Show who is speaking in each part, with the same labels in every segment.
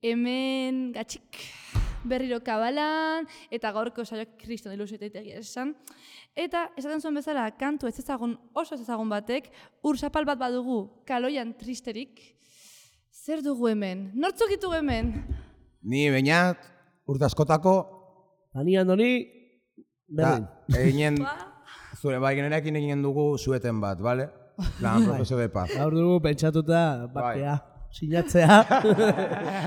Speaker 1: hemen gatxik berriro kabalan, eta gaurko saioak kriston ilusioetegia esan. Eta esaten zuen bezala, kantu ez ezagun, oso ez ezagun batek, urzapal bat badugu kaloian tristerik. Zer dugu hemen? Nortzuk ditugu hemen?
Speaker 2: Ni Beñat, urte askotako.
Speaker 3: Andoni, berdin.
Speaker 2: Eginen, zure generekin eginen dugu zueten bat, bale? Lan prozeso de paz.
Speaker 3: Gaur dugu pentsatuta bakea. Sinatzea.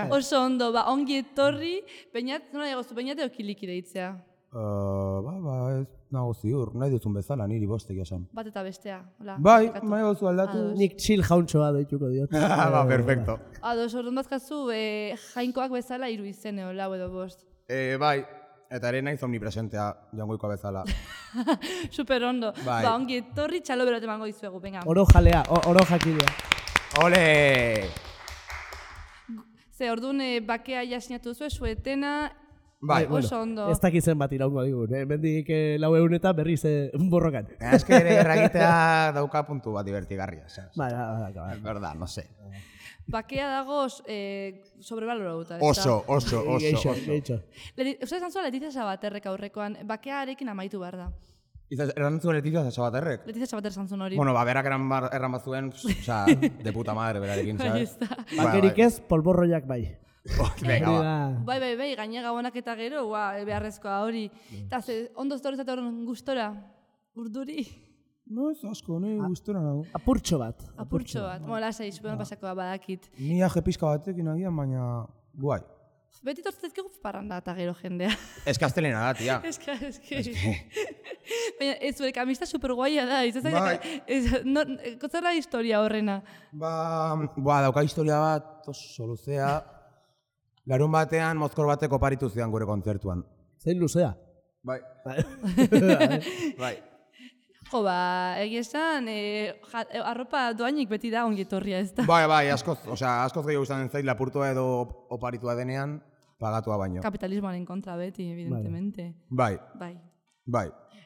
Speaker 1: Oso ondo, ongi etorri, Beñat, nola egozu, Beñat eo kiliki deitzea?
Speaker 2: Ez nago ziur, nahi duzun bezala niri bostek esan.
Speaker 1: Bat eta bestea, hola.
Speaker 2: Bai, egozu aldatu.
Speaker 3: Nik chill jauntxoa deituko diot.
Speaker 2: Perfecto.
Speaker 1: Ados, orduan bazkazu, jainkoak bezala 3 izene, lau edo 5.
Speaker 2: Bai, eta ere naiz omnipresentea jangoikoa bezala.
Speaker 1: Super ondo.
Speaker 2: Bai.
Speaker 1: Ongi etorri, txalo berot emango dizuegu, venga.
Speaker 3: Oro jalea, oro jakidea.
Speaker 2: Ole!
Speaker 1: Ze, orduan bakea jasinatu zuen, suetena,
Speaker 2: Bai,
Speaker 1: oso ondo.
Speaker 3: Ez dakitzen bat iraungo digun, mendik 400 eta berriz borrokan.
Speaker 2: Ez que ere erragitea dauka puntu bat divertigarria.
Speaker 3: Bai.
Speaker 2: Verdad, no sé.
Speaker 1: Bakea dago sobrevaloratuta.
Speaker 2: Oso.
Speaker 3: Geitxo.
Speaker 1: Uste esan zuen Letizia Sabaterrek aurrekoan, bakearekin amaitu behar da.
Speaker 2: Erran zuen Letizia Sabaterrek?
Speaker 1: Letizia Sabater esan zuen hori.
Speaker 2: Bueno, berak erran bat zuen, de puta madre berarekin, ¿sabes?
Speaker 3: Bakerik ez, polborroiak bai.
Speaker 2: Venga, ba.
Speaker 1: Bai, gaina gabonak eta gero, beharrezkoa hori. Eta ondo ztorezat horren gustora, urduri.
Speaker 2: No, ez asko, nahi gustora nago.
Speaker 3: Apurtxo bat.
Speaker 1: Bueno, lasai, superan pasakoa badakit.
Speaker 2: Ni aje pizka batekin agian, baina guai.
Speaker 1: Beti tortzetzkegu parranda eta gero jendea.
Speaker 2: Ez kastelena da, tia.
Speaker 1: Eske. Baina, ez zure kamista superguaia da. Kotzera historia horrena.
Speaker 2: Dauka historia bat, oso luzea. Larun batean, mozkor batek oparitu zidan gure kontzertuan.
Speaker 3: Zein luzea?
Speaker 2: Bai.
Speaker 1: Jo, egia esan, arropa doainik beti da ongi etorria ez da.
Speaker 2: Bai, askoz gehiago guztatzen zait lapurtua edo oparitua denean, pagatua baino.
Speaker 1: Kapitalismoaren kontra beti, evidentemente.
Speaker 2: Bai.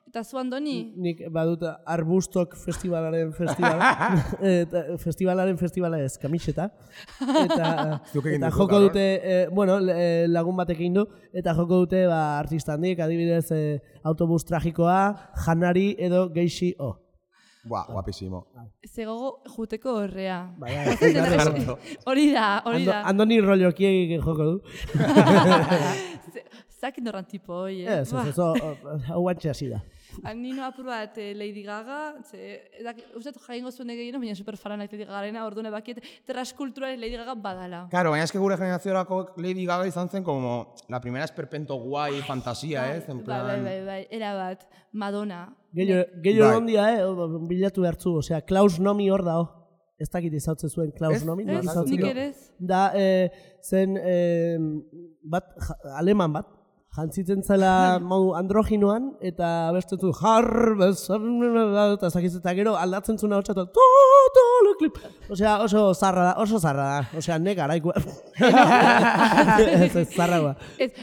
Speaker 2: Eta
Speaker 1: zu, Andoni?
Speaker 3: Nik badut Arbustok festivalaren festivala ez, kamiseta. Eta joko dute, lagun batek egin du, eta joko dute artista handik, adibidez autobus tragikoa, janari edo geixi o.
Speaker 2: Guapísimo.
Speaker 1: Zegogo juteko horrea.
Speaker 3: Hori da. Andoni rollokiek joko du.
Speaker 1: Zakin dorran tipo, hoi,
Speaker 3: Ez, hau antxe hasi da.
Speaker 1: Nino apur bat Lady Gaga, uste jaingo zuen egin, baina superfara nahi Lady Gagarena, orduan ebakiet transkulturaren Lady Gaga badala.
Speaker 2: Claro, baina eske gure generaziorako Lady Gaga izan zen como la primera esperpento guai fantasia, ez?
Speaker 1: Bai, erabat, Madonna.
Speaker 3: Gehiago ondia, bilatu behartzu, osea, Klaus Nomi hor dao. Ez dakit izautzen zuen Klaus Nomi.
Speaker 1: Ez, nik ere ez.
Speaker 3: Da, zen aleman bat, jantzitzen zela androginoan, eta abesten zuen eta zakitzen, eta gero aldatzen zuen hau txatu, osea, oso zarra da, osea, negaraikoa. Ez zarra gua.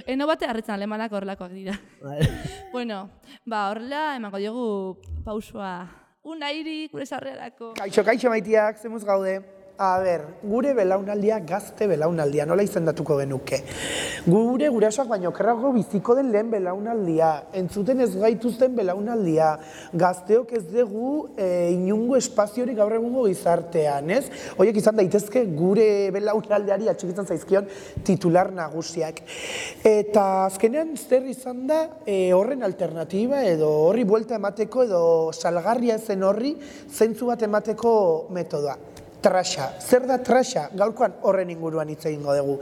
Speaker 1: Eno bate harritzen alemanak horrelakoak dira. Bueno, horrela, emango diogu pausua. Unairi, gure sarrerako.
Speaker 4: Kaixo maitiak, zemuz gaude. Gure belaunaldia, gazte belaunaldia, nola izendatuko genuke. Gure gurasoak baino kerrago biziko den lehen belaunaldia, entzuten ez gaituzten belaunaldia, gazteok ez dugu inungo espaziorik gaur egungo gizartean, ez? Horiek izan daitezke gure belaunaldeari atxikitzen zaizkion titular nagusiak. Eta azkenean zer izan da horren alternatiba edo horri buelta emateko edo salgarria zen horri zentzu bat emateko metodoa. Trasha. Zer da trasha? Gaurkoan horren inguruan hitz egingo dugu.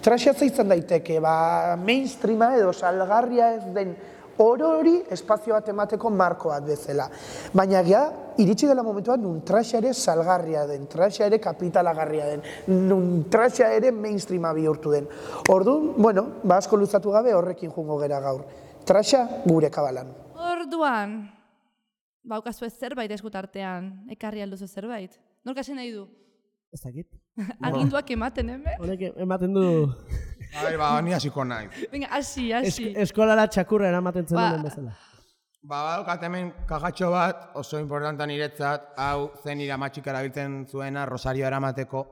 Speaker 4: Trasha izan daiteke, mainstreama edo salgarria ez den hori espazio bat emateko marko bat bezala. Baina iritsi dela momentuan nun trasha ere salgarria den, trasha ere kapitalagarria den, nun trasha ere mainstreama bihurtu den. Orduan, asko luzatu gabe horrekin jungo gera gaur. Trasha gure kabalan.
Speaker 1: Orduan, baukazu ez zerbait eskutartean, ekarri alduzu zerbait. Nork hasi nahi du?
Speaker 3: Ez dakit.
Speaker 1: Aginduak ematen, hemen?
Speaker 3: Honek ematen du...
Speaker 2: Ni hasiko nahi.
Speaker 1: Venga, hasi.
Speaker 3: Eskolara txakurra eramaten zen duen bezala.
Speaker 2: Badaukat hemen kajatxo bat, oso importanta niretzat, hau zen nire amatxik erabiltzen zuena, Rosario eramateko.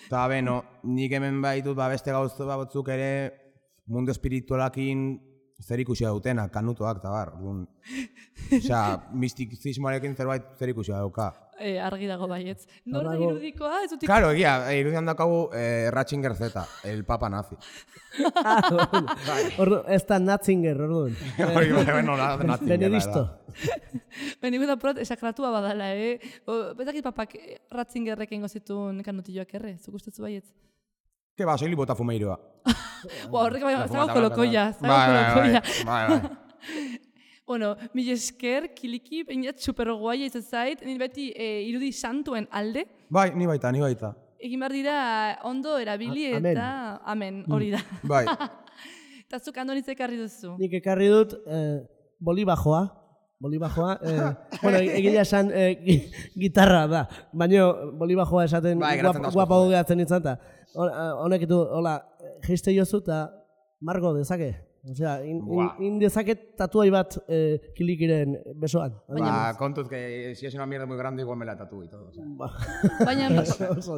Speaker 2: Eta beno, nik hemen baitut beste gauza batzuk ere mundu espiritualakin zer ikusia dutenak, kanutoak eta bar. Osea, mistikizismoarekin zerbait zer ikusia dauka.
Speaker 1: Argi dago baietz. Norra
Speaker 3: Dago.
Speaker 1: irudikoa, ez dut
Speaker 2: Claro, egia, irudian daukagu Ratzinger Z, el papa nazi.
Speaker 3: Ez da Natzinger, orduan.
Speaker 2: Hori, bueno, Ratzinger.
Speaker 3: Benedisto.
Speaker 1: Benigu da prot, esakratua badala, Betakit papak Ratzingerrekin gozitun kanutilloak erre, zuk ustezu baietz?
Speaker 2: Que ba, soili botafumeiroa.
Speaker 1: Horrek bai, zago kolokoia,
Speaker 2: Bai.
Speaker 1: Bueno, mil esker, kiliki, bainat superguaia izan zait, nire beti irudi santuen alde,
Speaker 2: Bai, ni baita.
Speaker 1: egin behar dira ondo erabili
Speaker 3: Amen.
Speaker 1: eta amen, hori da.
Speaker 2: Bai.
Speaker 1: Eta zuk andonitz ekarri duzu.
Speaker 3: Nik ekarri dut bolibajoa. Bueno, egia esan gitarra da. Baina bolibajoa esaten
Speaker 2: Bai, geratzen da asko,
Speaker 3: guapa gehatzen nintzen. Honek du, hola, geiste jozu eta margo dezake. Osea, in dezake tatuai bat kilikiren besoan.
Speaker 2: Ba, kontuz, que si es una mierda muy grande, igual me la tatúo y todo. O sea.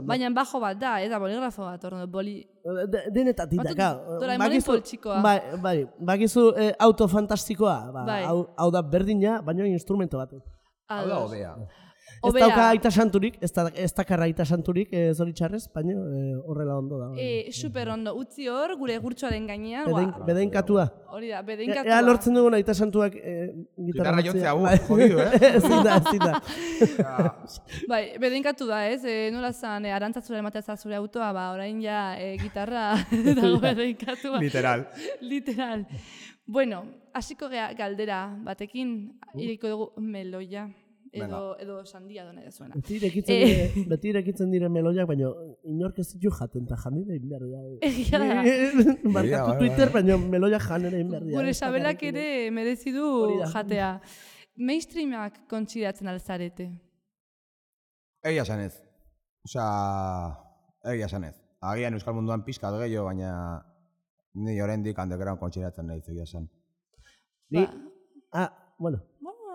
Speaker 1: Baina bajo bat da, eta boligrafo bat, orduan,
Speaker 3: Denetatik
Speaker 1: Batzuk
Speaker 3: daka.
Speaker 1: Doraemonen poltsikoa.
Speaker 3: Bai, bakizu auto fantastikoa.
Speaker 1: Bai.
Speaker 3: Hau da berdina, baina instrumento bat.
Speaker 2: Hau da, obea.
Speaker 3: Ez dauka aita santurik, ez dakarra aita santurik zoritxarrez, baina horrela ondo da.
Speaker 1: Super ondo, utzi hor, gure gurtsoaren gainean.
Speaker 3: Bedenkatua.
Speaker 1: Hori da, bedenkatua.
Speaker 3: Ea lortzen dugun aita santuak
Speaker 2: Gitarra jotzea, jodidu,
Speaker 3: Ezin da.
Speaker 1: Bai, bedenkatu da, ez? Nola zan, arantzatzura ematea zure autoa, ba, orain ja gitarra dago bedenkatua. Literal. Bueno, hasiko gea galdera batekin, iriko dugu meloia. Edo sandia dona da zuena.
Speaker 3: Beti irekitzen dire meloiak, baina inork ez ditu jaten, eta janera egin behar da.
Speaker 1: Egia da.
Speaker 3: Markatu Twitter, baina meloiak janera egin behar da.
Speaker 1: Gure sabelak ere merezi du jatea. Mainstreamak kontsideratzen alzarete?
Speaker 2: Egia esan ez. Osea, egia esan ez. Agian euskal munduan pizkat gehiago, baina ni oraindik underground kontsideratzen nahi egia esan.
Speaker 3: Bueno.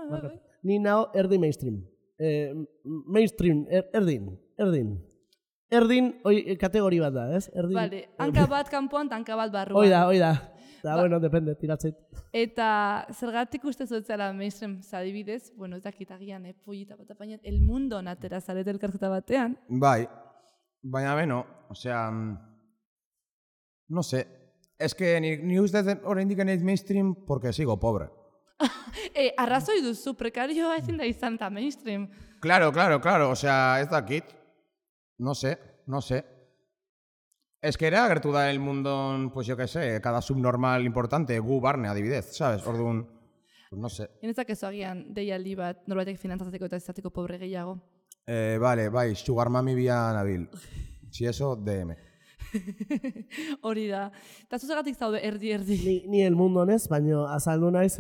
Speaker 1: Bai.
Speaker 3: Ni nao erdi mainstream. Mainstream, erdin. Erdin, kategori bat da, ez?
Speaker 1: Vale, hanka bat kanpoan, hanka bat barruan.
Speaker 3: Hoi da. Da, bueno, depende, tiratzeit.
Speaker 1: Eta zergatik uste zuetzela mainstream zadibidez, bueno, ez dakit agian, pollita bat apainat, el mundo natera zarete elkarketa batean.
Speaker 2: Bai, baina beno, osea, no sé, es que ni ustez oraindik naiz mainstream porque sigo pobre.
Speaker 1: Arrazoi duzu, prekarioa ezin da izan eta mainstream.
Speaker 2: Claro, osea, ez dakit. No sé. Es que era agertu da el mundo, pues yo que sé, cada subnormal importante, gu barne adibidez, ¿sabes? Orduan, pues no sé.
Speaker 1: Inezak ez agian deialdi bat norbaitek finantzatzeko eta izateko pobre gehiago.
Speaker 2: Vale, bai, sugar mami bila nabil. Si eso, DM.
Speaker 1: Hori da. Eta zuzagatik zaude erdi.
Speaker 3: Ni el mundo honez, baina azaldu naiz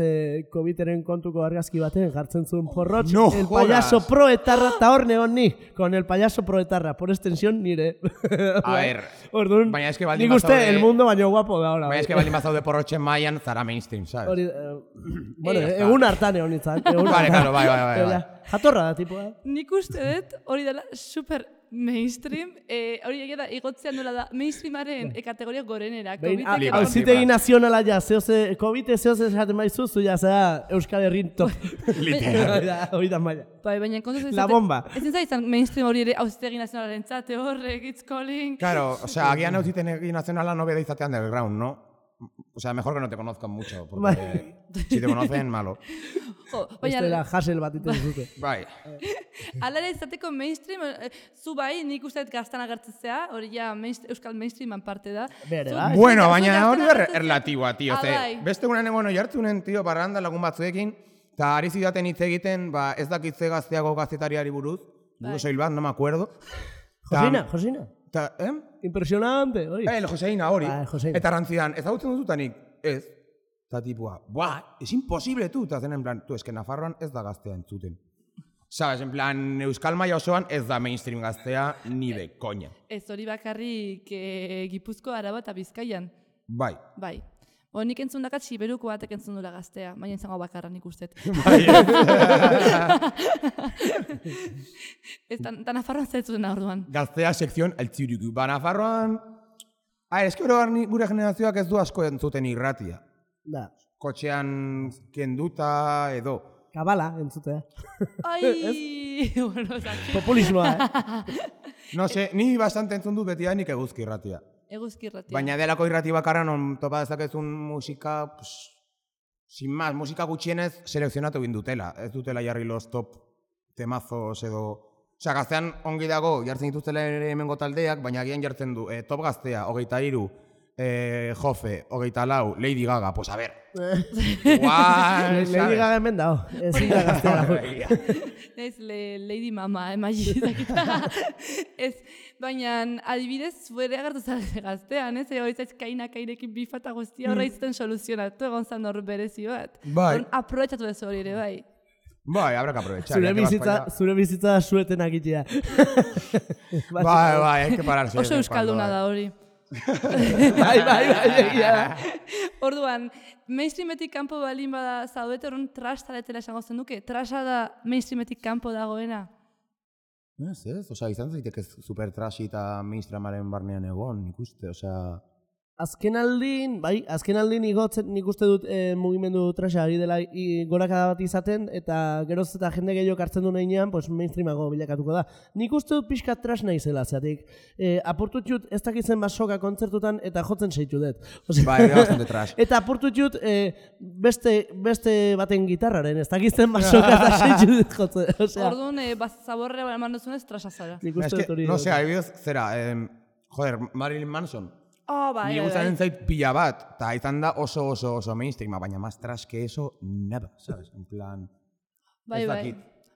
Speaker 3: COVID-eren kontuko argazki baten jartzen zuen porrotx.
Speaker 2: No
Speaker 3: el
Speaker 2: jodas.
Speaker 3: payaso proetarra, eta hor negon ni, con el payaso proetarra, por extensión nire.
Speaker 2: A ver,
Speaker 3: Orduan,
Speaker 2: baina eske baldin
Speaker 3: nik uste
Speaker 2: bazaude-
Speaker 3: el mundo baino guapo da ahora.
Speaker 2: baina eske baldin bazaude porrotxen mailan, zara mainstream, ¿sabes?
Speaker 3: Hori, bueno,
Speaker 2: ya está.
Speaker 3: egun hartan egon nintzen.
Speaker 2: Vale, claro, bai.
Speaker 3: Jatorra da, tipoa.
Speaker 1: Nik uste dut hori dela super mainstream, hori egia da, igotzean nola da, mainstreamaren kategoria gorenera.
Speaker 3: Hauzitegi nazionala ja, COVID zehoz esaten baizu, zu ja, zera Euskal Herrin top.
Speaker 2: Literal.
Speaker 3: Hori da maila.
Speaker 1: Bai, baina kontuz ez
Speaker 3: La bomba.
Speaker 1: ezin zaizan mainstream hori ere hauzitegi nazionalaren txate horrek, it's calling.
Speaker 2: Claro, o sea, agian auzitegi nazionala no beda izatea underground, ¿no? O sea, mejor que no te conozcan mucho, porque si te conocen, malo.
Speaker 1: Jo,
Speaker 3: Beste da
Speaker 1: baina,
Speaker 3: jasel bat iten zute.
Speaker 2: Bai.
Speaker 1: ala ere izateko mainstream, zu bai, nik uste dut gaztan agertzea, hori ja euskal mainstreaman parte da.
Speaker 3: Bere,
Speaker 1: Zu-
Speaker 3: bai.
Speaker 1: zu
Speaker 2: Bueno,
Speaker 1: gaztan
Speaker 2: baina hori da
Speaker 1: agertzea-
Speaker 2: relatiboa, tío.
Speaker 1: Ah,
Speaker 2: Ze,
Speaker 1: bai.
Speaker 2: beste gurean egon oi hartzunen, tío, parranda lagun batzuekin, eta ari zidaten hitz egiten, ba, ez dakitze gazteago gaztetariari buruz, buru soil bat, no me acuerdo.
Speaker 3: Josina.
Speaker 2: Ta,
Speaker 3: Impresionante, hori.
Speaker 2: Joseina hori.
Speaker 3: Bai, Joseina.
Speaker 2: Eta rantzidan, ezagutzen duzutanik, ez. Eta tipua, buah, es imposible tu. Eta zen en plan, es que Nafarroan ez da gaztea entzuten. Sabes, en plan, Euskal Maia osoan ez da mainstream gaztea ni de coña.
Speaker 1: Ez hori bakarrik Gipuzko, Araba eta Bizkaian.
Speaker 2: Bai.
Speaker 1: Bai. Nik entzun dakat Siberuko batek entzun dula Gaztea, baina izango bakarra nik ustet. Ez, ta Nafarroan zaitzuten orduan.
Speaker 2: Gaztea sekzion Eltziriku. Ba, Nafarroan... eski gure generazioak ez du asko entzuten irratia.
Speaker 3: Da.
Speaker 2: Kotxean kenduta edo.
Speaker 3: Kabala entzutea.
Speaker 1: Ai, bueno,
Speaker 3: Populismoa,
Speaker 2: No sé, ni bastante entzun dut beti nik eguzki irratia.
Speaker 1: eguzki irratia.
Speaker 2: Baina delako irrati bakarra non topa dezakezun musika, sin más, musika gutxienez selekzionatu egin dutela. Ez dutela jarri los top temazos edo... Osea, Gaztean ongi dago, jartzen dituztela ere hemengo taldeak, baina agian jartzen du top Gaztea, 23, Jofe, 24, Lady Gaga, pues a ver. Igual,
Speaker 3: Lady Gaga hemen dago, ezin da Gaztea.
Speaker 1: Ez, Lady Mama, magizakita. Ez, baina adibidez, zuere agertu zarete Gaztean, ez? Ego izaiz kairekin bifata guztia horra izten soluzionatu, egon zan hor berezi bat.
Speaker 2: Bai.
Speaker 1: Aprobetxatu dezu hori ere, bai.
Speaker 2: Bai, habrá que aprovechar.
Speaker 3: Zure bizitza sueten akitea.
Speaker 2: Bai, hay que pararse.
Speaker 1: Oso euskalduna da hori.
Speaker 3: Bai.
Speaker 1: Orduan, mainstreametik kanpo balin bada zaudete horren trash taletela esango zen duke? Trasha da mainstreametik kanpo dagoena?
Speaker 2: Ez, osea, izan zaiteke super trashi eta mainstreamaren barnean egon, nik uste, osea...
Speaker 3: Azken aldin igotzen nik uste dut mugimendu trasha ari dela gorakada bat izaten, eta geroz eta jende gehiago hartzen du nahinean, pues mainstreamago bilakatuko da. Nik uste dut pixka trash naizela, zeatik. Apurtutxut ez dakitzen basoka kontzertutan eta jotzen seitu dut.
Speaker 2: Bai, bastante trash.
Speaker 3: Eta apurtutxut beste baten gitarraren, ez dakitzen basoka eta seitu dut jotzen.
Speaker 1: Orduan, zaborrea eman duzunez trasha zara.
Speaker 3: Nik uste dut hori.
Speaker 2: No sé, adibidez, zera, Marilyn Manson.
Speaker 1: Bai,
Speaker 2: Ni guztaren zait pila bat, eta izan da oso mainstreama, baina más trash que eso, nada, ¿sabes? En plan,
Speaker 1: Bai,
Speaker 2: ez
Speaker 1: bai.
Speaker 2: dakit.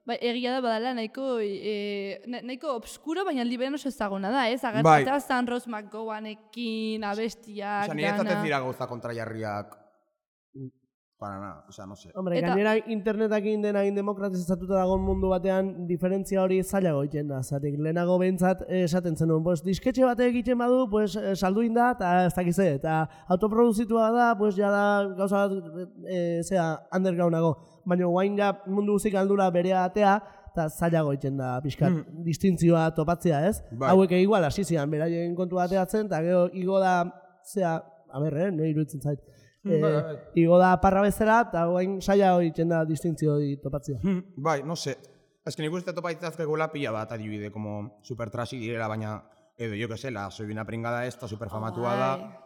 Speaker 1: Bai, egia da badala nahiko obskuro, baina liberen oso ezaguna da, ez?
Speaker 2: Bai.
Speaker 1: Agertatea zan Rose McGowanekin, abestiak,
Speaker 2: Osa, niretzat ez dira gauza kontrajarriak, para nada, osea, no sé.
Speaker 3: Hombre, gainera internetakin dena demokratizatuta dagoen mundu batean diferentzia hori zailago egiten da. Zatik, lehenago behintzat esaten zenuen, pues, disketxe batek egiten badu, pues, salduin da, eta ez dakize, eta autoproduzitua da, pues, ja da gauza bat, undergroundago. Baina guain mundu guzik aldura berea atea, eta zailago egiten da, pixkat, distintzioa topatzea, ez?
Speaker 2: Bai.
Speaker 3: Hauek igual hasi zian, beraien kontu bateatzen, eta gero igo da, nahi iruditzen zait. Igo da parra bezala, eta guain saia hori da distintzio hori topatzea.
Speaker 2: Bai, no sé. Ez que nik uste topaitzazkegula pila bat adibide, como super trashy direla, baina, edo, yo que sé, la soy una pringada esta, super famatua da,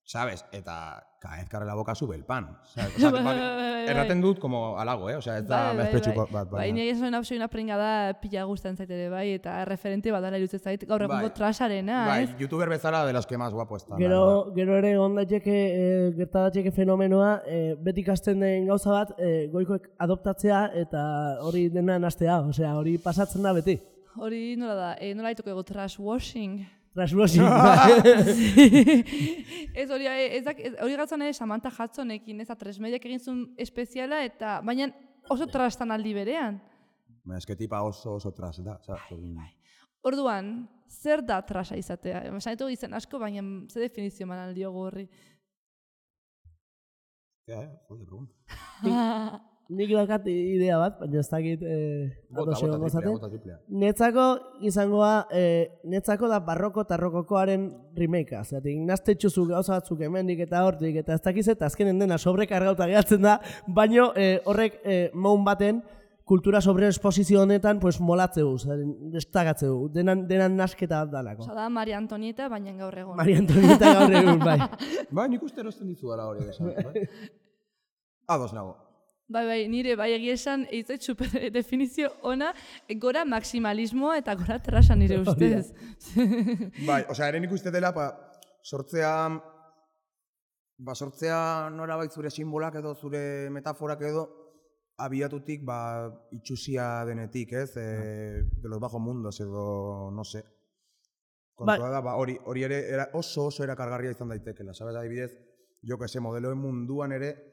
Speaker 2: ¿sabes? Eta, cada vez que abre la boca sube el pan, ¿sabes? O sea, erraten dut como halago, ez da mezpretxuko bat.
Speaker 1: Bai, nire esan hau una pringada pila guztan zaitere, bai, eta referente badala irutzen zait, gaur egungo trasarena,
Speaker 2: bai,
Speaker 1: ez?
Speaker 2: youtuber bezala de los que más guapo están.
Speaker 3: Gero ere gertadatxeke fenomenoa, beti ikasten den gauza bat, goikoek adoptatzea eta hori dena nastea, osea, hori pasatzen da beti.
Speaker 1: Hori nola da, nola haituko ego trash washing.
Speaker 3: Trashwashing.
Speaker 1: Ez hori gatzen Samantha Hudsonekin, ez Atresmediak egin zuen espeziala, eta baina oso trastan aldi berean.
Speaker 2: Ez que tipa oso trash da.
Speaker 1: Orduan, zer da trasa izatea? Esanetu izen asko, baina ze definizio man aldiogu horri.
Speaker 2: Jode, pregunta.
Speaker 3: Nik daukat idea bat, baina ez dakit
Speaker 2: Bota triplea.
Speaker 3: Netzako izangoa, netzako da barroko eta rokokoaren remakea. Zatik, naztetxuzu gauza batzuk hemendik eta hortik, eta ez dakiz eta azkenen dena sobrekargauta gehatzen da, baino horrek moun baten kultura sobre esposizio honetan pues, molatzeu, destagatzeu, denan nasketa bat dalako.
Speaker 1: Osa da, Maria Antonieta, baina gaur egon.
Speaker 3: Maria Antonieta gaur egun, bai.
Speaker 2: Bai, nik uste erosten dizu dara hori esan. Ados nago.
Speaker 1: Bai, nire bai egia esan, eitzait super definizio ona, gora maximalismoa eta gora trasa nire ustez.
Speaker 2: Bai, osea, ere nik uste dela, sortzea nora bait zure simbolak edo, zure metaforak edo, abiatutik, itxusia denetik, ez? De los bajos mundos edo, no sé. Kontua da, hori ere oso erakargarria izan daitekela, sabes, adibidez, jo que se, modeloen munduan ere,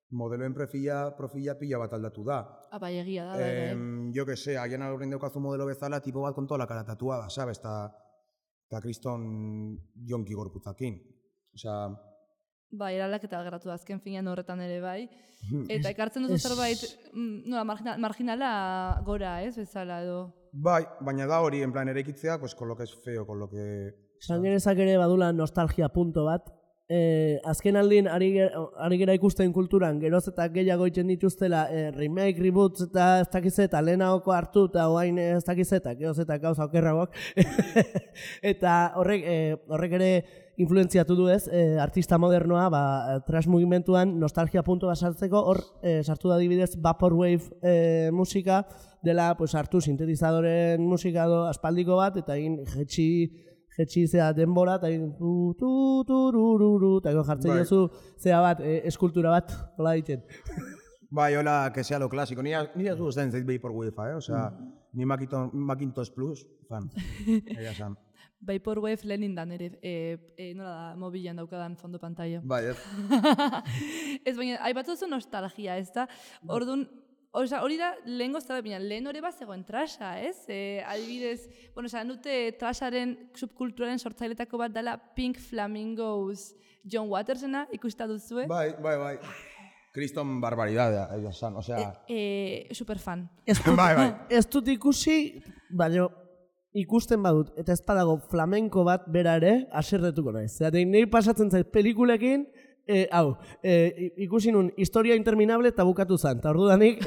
Speaker 2: modeloen profila pila bat aldatu da.
Speaker 1: Bai, egia da, bai.
Speaker 2: Jo que sé, agian aurrein daukazu modelo bezala, tipo bat con toda la cara tatuada, sabes, eta kriston jonki gorputzakin. Osea,
Speaker 1: Bai, eraldaketa geratu da azken finean horretan ere bai. Eta ekartzen duzu zerbait, nola, marginala gora, ez, bezala edo.
Speaker 2: Bai, baina da hori, en plan, eraikitzea, pues, con lo que es feo, con lo que...
Speaker 3: Sangerezak ere badula nostalgia punto bat. Azken aldin ari gera ikusten kulturan, geroz eta gehiago egiten dituztela remake, reboots eta ez dakiz eta lehenagoko hartu eta oain ez dakiz eta geroz eta gauza okerragoak. Eta horrek ere influenziatu du ez, artista modernoa, trash mugimenduan nostalgia punto bat sartzeko, hor sartu da adibidez Vaporwave musika, dela pues, hartu sintetizadoren musika do aspaldiko bat, eta egin jetxi zea denbora, eta egin eta jartzen jozu zea bat, eskultura bat, hola egiten.
Speaker 2: Bai, hola, que sea lo clásico. Ni ez gusten zait Vaporwave, osea, ni Macintosh Plus, fan. Egia san.
Speaker 1: Vaporwave lehenin da nire, nola da, mobilan daukadan fondo pantalla.
Speaker 2: Bai, ez.
Speaker 1: Ez baina, aipatu zu nostalgia, ez da? Orduan, hori da, lehen hori bat zegoen trasha, ez? Adibidez, bueno, esan dute trasharen subkulturaren sortzailetako bat dela Pink Flamingos John Watersena, ikusta duzue?
Speaker 2: Bai. Kriston barbaridadea, egia san, osea...
Speaker 1: Superfan.
Speaker 2: Bai.
Speaker 3: Ez dut ikusi, baina ikusten badut, eta ez badago flamenko bat bera ere, aserretuko naiz. Zeratik, nahi pasatzen zait pelikulekin, ikusi nun, historia interminable eta bukatu zan. Eta orduan nik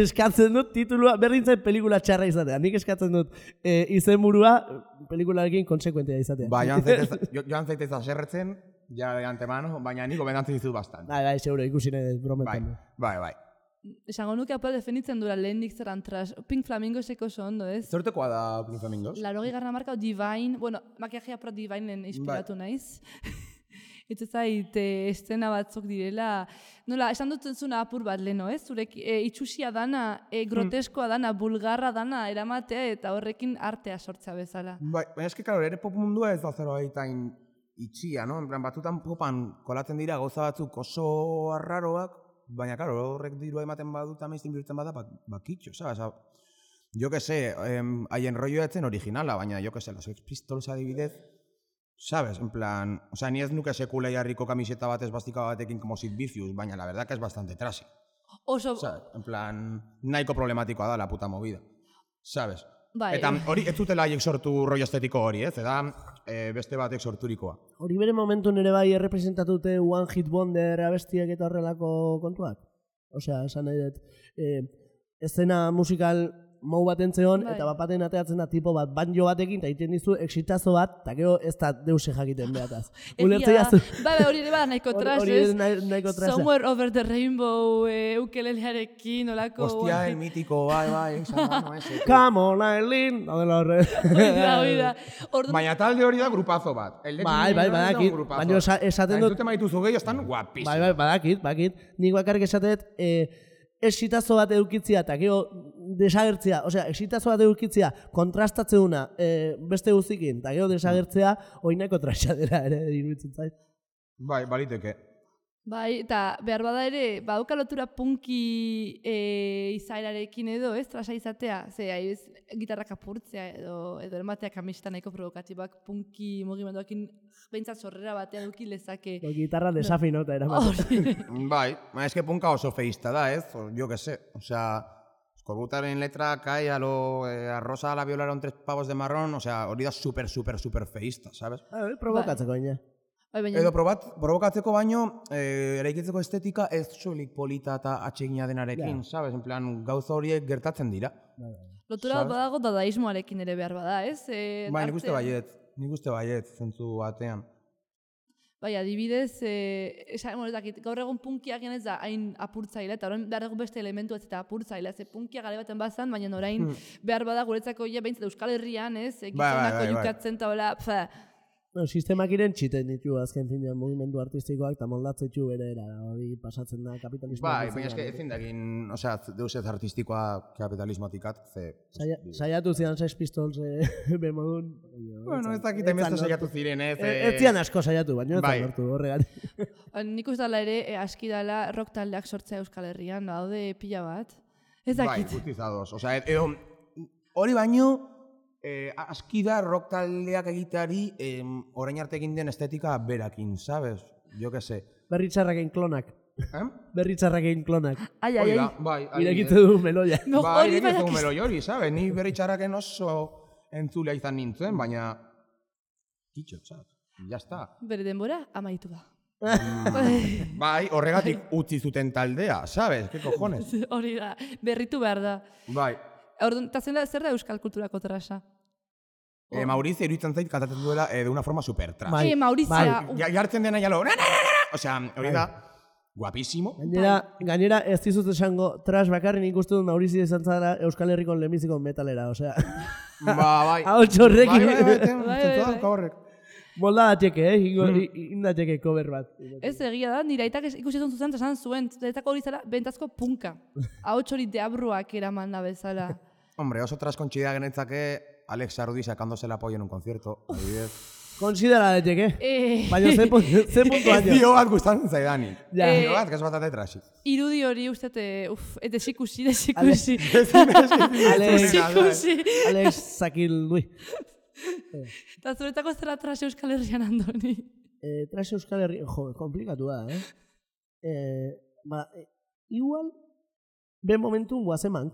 Speaker 3: eskatzen dut titulua, berdin zait pelikula txarra izatea. Nik eskatzen dut izenburua pelikularekin konsekuentea izatea.
Speaker 2: Ba, joan zaitez aserretzen, ja de antemano, baina nik gomendatzen dizut bastant.
Speaker 3: Bai, seguro, ikusi nahi brometan.
Speaker 2: Bai.
Speaker 1: Esango nuke apel definitzen dura lehendik zeran trash. Pink Flamingoseko oso ondo, ez?
Speaker 2: Zertekoa da Pink Flamingos?
Speaker 1: 80 marka Divine, bueno, makiajea pro Divinen inspiratu naiz. Eta zait, estena batzuk direla, nola, esan dut zuna apur bat leheno, ez? Zurek itxusia dana, groteskoa dana, bulgarra dana eramatea eta horrekin artea sortzea bezala.
Speaker 2: Bai, baina eski, karo, ere pop mundua ez da zerbaitain itxia, no? En plan, batutan popan kolatzen dira gauza batzuk oso arraroak, baina, karo, horrek dirua ematen badut amazten bihurtzen bada, bakitxo, sabes? Jo que sé, haien rolloa etzen originala, baina jo que sé, los Sex Pistols adibidez, sabes, en plan, o sea, ni ez nuke sekula jarriko kamiseta bat esbastika batekin como Sid Vicious, baina la verdad que es bastante trashy.
Speaker 1: Oso...
Speaker 2: Sabes, en plan, nahiko problematikoa da la puta movida, sabes?
Speaker 1: Bai.
Speaker 2: Eta hori ez dutela haiek sortu rollo estetiko hori, ez? Eta beste batek sorturikoa.
Speaker 3: Hori bere momentu nire bai errepresentatute One Hit Wonder abestiak eta horrelako kontuak? Osea, esan nahi dut, eszena musikal mou bat entzeon, eta bapaten ateatzen da tipo bat banjo batekin, eta egiten dizu exitazo bat, eta gero ez da deuse jakiten behataz.
Speaker 1: Egia da, hori ere bada nahiko trash, ez?
Speaker 3: Nahiko trasha.
Speaker 1: Somewhere Over the Rainbow, ukelelearekin, olako...
Speaker 2: Hostia, el mítico, bai, no ese.
Speaker 3: Come on, Aileen!
Speaker 1: Oida.
Speaker 2: Baina talde hori da grupazo bat.
Speaker 3: Bai, badakit. Baina esaten dut...
Speaker 2: Entzute maituzu gehi, estan guapísimo.
Speaker 3: Bai, badakit. Nik bakarrik esatet, exitazo bat edukitzia eta gero desagertzea, osea, exitazo bat edukitzea kontrastatzeuna beste guztikin, eta gero desagertzea oinako traxadera ere iruditzen zait.
Speaker 2: Bai, baliteke.
Speaker 1: Bai, eta behar bada ere, badauka lotura punki izaerarekin edo, ez, trasa izatea, ze, gitarrak apurtzea edo ematea kamiseta nahiko provokatibak punki mugimenduakin behintzat sorrera batean duki lezake.
Speaker 3: Gitarra desafinota eramatea.
Speaker 2: Bai, eske punka oso feista da, ez? Jo que sé, osea, Skorbutaren letra cae a rosa a la violaron 3 pavos de marrón, osea, hori da super feista, sabes?
Speaker 3: Provokatzeko ina.
Speaker 2: Edo provokatzeko baino, eraikitzeko estetika ez soilik polita eta atsegina denarekin, sabes? En plan, gauza horiek gertatzen dira.
Speaker 1: Lotura badago dadaismoarekin ere behar bada, ez?
Speaker 2: Bai, nik uste baiet, zentzu batean.
Speaker 1: Bai, adibidez, gaur egun punkia genez da hain apurtzaile, eta orain behar dugu beste elementu ez eta apurtzaile, ze punkia gare baten bazan, baina orain behar bada guretzako behintzat Euskal Herrian, ez? Gizonako jukatzen eta hola,
Speaker 3: sistemak iren txiten ditu azken finean mugimendu artistikoak eta moldatzetxu bere hori pasatzen da kapitalismoa.
Speaker 2: Bai, baina eske ezin dagin, osea, deus ez artistikoa kapitalismotikat, ze...
Speaker 3: Saiatu zidan Sex Pistols bemodun...
Speaker 2: Bueno, ez dakit emezte saiatu ziren, ez...
Speaker 3: Ez zian asko saiatu, baina ez da lortu horregatik.
Speaker 1: Nik uste dala ere, aski dala rock taldeak sortzea Euskal Herrian, daude pila bat. Ez dakit.
Speaker 2: Bai, gutizados, osea, edo hori baino... aski da rock taldeak egiteari orain arte egin den estetika berakin, sabes? Jo que sé.
Speaker 3: Berritxarraken klonak. Berritxarraken klonak.
Speaker 1: Ai,
Speaker 2: Hori da, bai.
Speaker 3: Irekitze du meloia.
Speaker 1: No,
Speaker 2: Bai,
Speaker 1: hori
Speaker 2: irekitze du
Speaker 1: badakizu.
Speaker 2: meloi hori, sabes? Ni berritxarraken oso entzulea izan nintzen, baina... Kitxotzat, jazta.
Speaker 1: Bere denbora amaitu da.
Speaker 2: Bai, horregatik utzi zuten taldea, sabes? Que cojones?
Speaker 1: Hori da, berritu behar da.
Speaker 2: Bai.
Speaker 1: Orduan, eta zer da euskal kulturako trasa?
Speaker 2: Maurizio iruditzen zait kantatzen duela de una forma super trash.
Speaker 3: Bai.
Speaker 1: Maurizia,
Speaker 2: Jartzen dena jalo, osea, hori da, guapísimo.
Speaker 3: Gainera ez dizut esango trash bakarren ikusten dut Maurizio izan zara Euskal Herriko lehenbiziko metalera, osea.
Speaker 2: Bai.
Speaker 3: Hau txorrekin.
Speaker 1: bai.
Speaker 2: Horrek.
Speaker 3: Molda dateke, indateke cover bat.
Speaker 1: ez egia da, nire aitak ikusi zuen zuzen, esan zuen, zuretako hori zara, bentazko punka. Ahots hori deabruak eraman da bezala.
Speaker 2: Hombre, oso traskontxidea genetzake Alex Sarudi sacándose el apoyo en un concierto, adibidez.
Speaker 3: Konsidera dateke. Baina ze puntu
Speaker 2: Ez
Speaker 3: año.
Speaker 2: dio bat gustatzen zaidanik.
Speaker 3: Ja.
Speaker 2: Dio bat, ez batate trasik.
Speaker 1: Irudi hori uste, desikusi.
Speaker 3: Alex Zakil Dui.
Speaker 1: Eta zuretako zera trase Euskal Herrian andoni.
Speaker 3: Trash Euskal Herri, jo, komplikatu da, igual, ben momentun guazeman.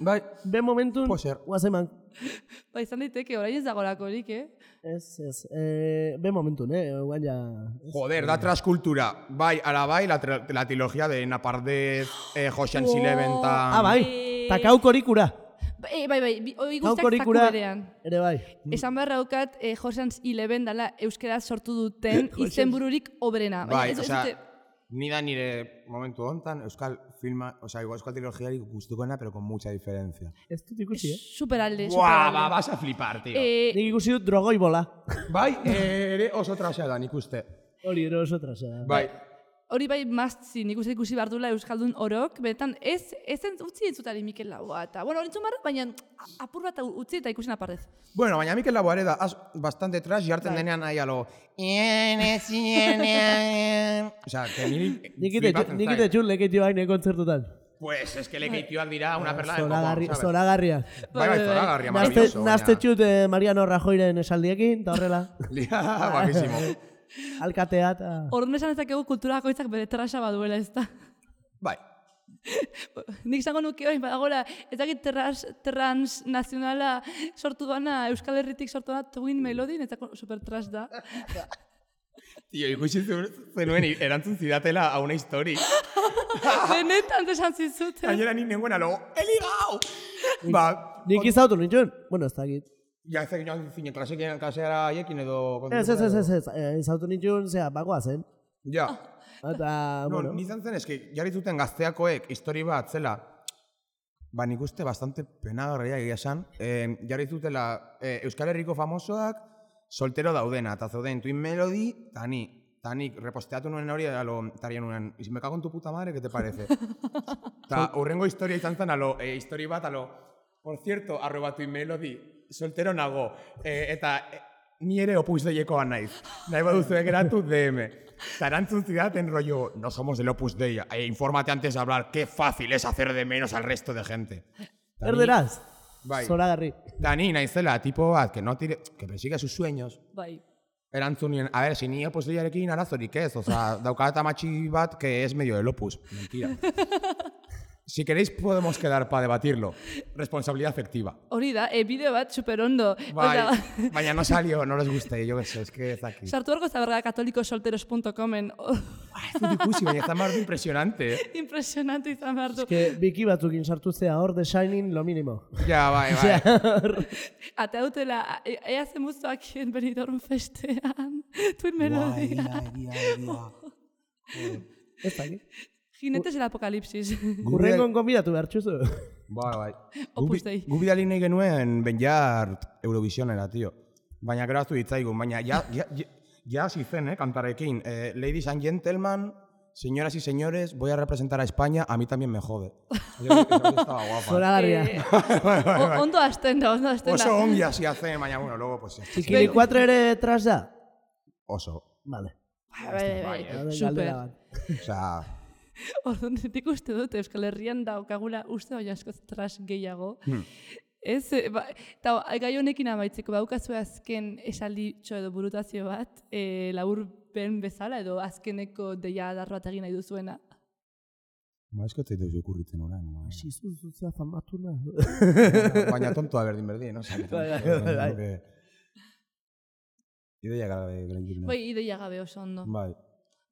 Speaker 2: Bai,
Speaker 3: Ben momentun
Speaker 2: Puede ser.
Speaker 3: guazeman.
Speaker 1: Ba, izan daiteke, orain ez dagolako horik,
Speaker 3: Ez. Ben momentun, guan ja...
Speaker 2: joder, da traskultura. Bai, ala bai, la trilogía de Napardez, Ocean's Eleven, ta...
Speaker 3: bai, ta kaukorikura.
Speaker 1: Bai, hori guztiak zaku
Speaker 3: Kaukorikura
Speaker 1: berean.
Speaker 3: ere bai.
Speaker 1: Esan beharra daukat, Ocean's Eleven dela euskeraz sortu duten izenbururik obrena.
Speaker 2: Bai,
Speaker 1: ez
Speaker 2: osea,
Speaker 1: dute-
Speaker 2: ni da nire momentu hontan euskal filma, osea, igual euskal trilogiari gustukoena, pero con mucha diferencia.
Speaker 3: Ez dut ikusi,
Speaker 1: Superalde,
Speaker 2: Buah,
Speaker 1: superalde.
Speaker 2: vas a flipar, tío.
Speaker 3: Nik ikusi dut drogoi bola.
Speaker 2: Bai, ere oso trasea da, nik uste.
Speaker 3: Hori ero oso trasa.
Speaker 2: Bai,
Speaker 1: Hori bai mazzi, nik uste ikusi behar duela Euskaldun orok, benetan ez utzi entzutari Mikel Laboa, eta, bueno, hori entzun behar, baina apur bat utzi eta ikusi naparrez.
Speaker 2: bueno, baina Mikel Laboa ere da bastante trash, jartzen denean nahi alo... Osea, que niri flipatzen
Speaker 3: Nik
Speaker 2: zait.
Speaker 3: ite txun leketio haine kontzertutan.
Speaker 2: Pues, es que lekeitioak dira una perla del coco, ¿sabes?
Speaker 3: Zoragarria.
Speaker 2: Bai, zoragarria, maravilloso.
Speaker 3: Nazte txut Mariano Rajoyren esaldiekin, eta horrela.
Speaker 2: Guapísimo.
Speaker 3: Alkatea eta...
Speaker 1: Orduan esan ezakegu kulturakoitzak bere trasa baduela ez da.
Speaker 2: Bai.
Speaker 1: Nik izango nuke hori, badagora, ez dakit transnazionala sortu duana, Euskal Herritik sortu duana, Twin Melody, netzako super trash da.
Speaker 2: Tio, ikusi zenuen erantzun zidatela a una histori.
Speaker 1: Benetan esan zizuten.
Speaker 2: Gainera ni nengoen alo, eligau! Ba,
Speaker 3: Nik izautu nintxun? Bueno, ez dakit.
Speaker 2: ja ez egin zinen klaseara haiekin edo...
Speaker 3: Ez, izautu nintxun, zera, bagoa zen.
Speaker 2: Ja.
Speaker 3: Eta,
Speaker 2: No,
Speaker 3: bueno,
Speaker 2: nizan zen, eski, jarri zuten gazteakoek histori bat zela, ba nik uste bastante penagarria egia esan, jarri zutela Euskal Herriko famosoak soltero daudena, eta zeuden Twin Melody, eta nik reposteatu nuen hori, tarien nuen, y si me cago en tu puta madre, ¿qué te parece? Eta urrengo historia izan zen, histori bat, por cierto, @Twin Melody, soltero nago, eta ni ere Opus Deiekoa naiz. Nahi baduzu geratu DM. Eta erantzun zidaten rollo, no somos del Opus Dei, infórmate antes de hablar, qué fácil es hacer de menos al resto de gente.
Speaker 3: erderaz.
Speaker 2: Bai.
Speaker 3: Zoragarri.
Speaker 2: Eta ni naizela, tipo bat, que persigue sus sueños.
Speaker 1: Bai.
Speaker 2: Erantzun nien, a ver, si ni Opus Deiarekin arazorik ez, oza, daukat amatxi bat que es medio del Opus. Mentira. Si queréis podemos quedar para debatirlo. Responsabilidad afectiva.
Speaker 1: Hori da, bideo bat super ondo.
Speaker 2: Bai, baina no salió, no les guste, yo qué sé, es que ez aquí.
Speaker 1: Sartu horko zaberga katolikosolteros.comen.
Speaker 2: Ez dut ikusi, baina ez da mardu impresionante,
Speaker 1: Impresionante izan behar du.
Speaker 3: Que biki batzukin sartu zea hor, The Shining, lo mínimo.
Speaker 2: Ja, bai.
Speaker 1: Atea dutela, ea zemuztoak Benidorm festean, Twin Melodia.
Speaker 3: Ez dakit.
Speaker 1: Jinetes el apocalipsis.
Speaker 3: Urrengon konbidatu behar txuzu.
Speaker 2: Bai.
Speaker 1: Opus Dei.
Speaker 2: Gu bidali nahi genuen Benjart Eurovisionera, tio. Baina gero aztu ditzaigun, baina ja hasi zen, kantarekin. Ladies and gentlemen, señoras y señores, voy a representar a España, a mí también me jode. Estaba guapa.
Speaker 3: Zoragarria.
Speaker 1: Ondo hasten da, ondo hasten da.
Speaker 2: Oso ongi hasi hace, baina bueno, luego pues...
Speaker 3: Txikili 4 ere tras da?
Speaker 2: Oso.
Speaker 3: Vale.
Speaker 1: Bai.
Speaker 3: Galdera
Speaker 1: Super.
Speaker 3: bat.
Speaker 2: Osea,
Speaker 1: Orduan, nik uste dut Euskal Herrian daukagula uste baina asko trash gehiago. Ez, eta gai honekin amaitzeko, baukazue azken esalditxo edo burutazio bat, laburpen bezala edo azkeneko deia adarro bat egin nahi duzuena.
Speaker 2: Ez que ez okurritzen orain.
Speaker 3: Zuzuzuzea famatuna.
Speaker 2: Baina tontoa berdin, no? Ideia gabe gelendik.
Speaker 1: Bai, ideia gabe oso ondo.
Speaker 2: Bai.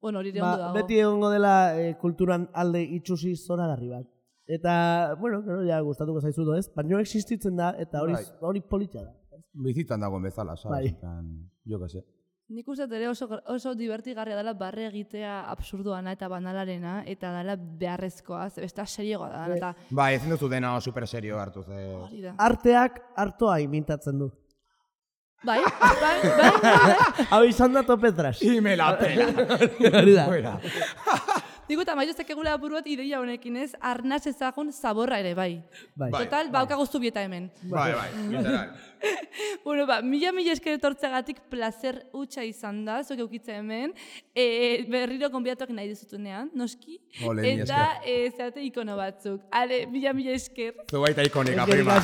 Speaker 1: Bueno, hori ondo dago.
Speaker 3: Beti egongo dela kulturan alde itxusi zoragarri bat. Eta, bueno, ja gustatuko zaizu ez, baina existitzen da, eta hori politxa da.
Speaker 2: Bizitan dagoen bezala, sabes? Jo que sé.
Speaker 1: Nik uste ere oso divertigarria dela barre egitea absurdoana eta banalarena, eta dela beharrezkoa, besta serioa da. Eta...
Speaker 2: Bai, ezin duzu dena super serio hartu.
Speaker 3: Arteak hartoa imintatzen du.
Speaker 1: Bai.
Speaker 3: Hau izan da topetras.
Speaker 2: Y me la pela.
Speaker 3: Fuera.
Speaker 1: Digo, eta maituzek egula apur bat ideia honekin ez, arnaz ezagun zaborra ere, bai. Total, baukago zubieta hemen.
Speaker 2: Bai, literal.
Speaker 1: Bueno, mila esker etortzeagatik placer hutsa izan da, zuek eukitza hemen, berriro konbidatuak nahi dizutunean, noski, eta zeate ikono batzuk. Ale, mila esker.
Speaker 2: Zu baita ikonika, prima.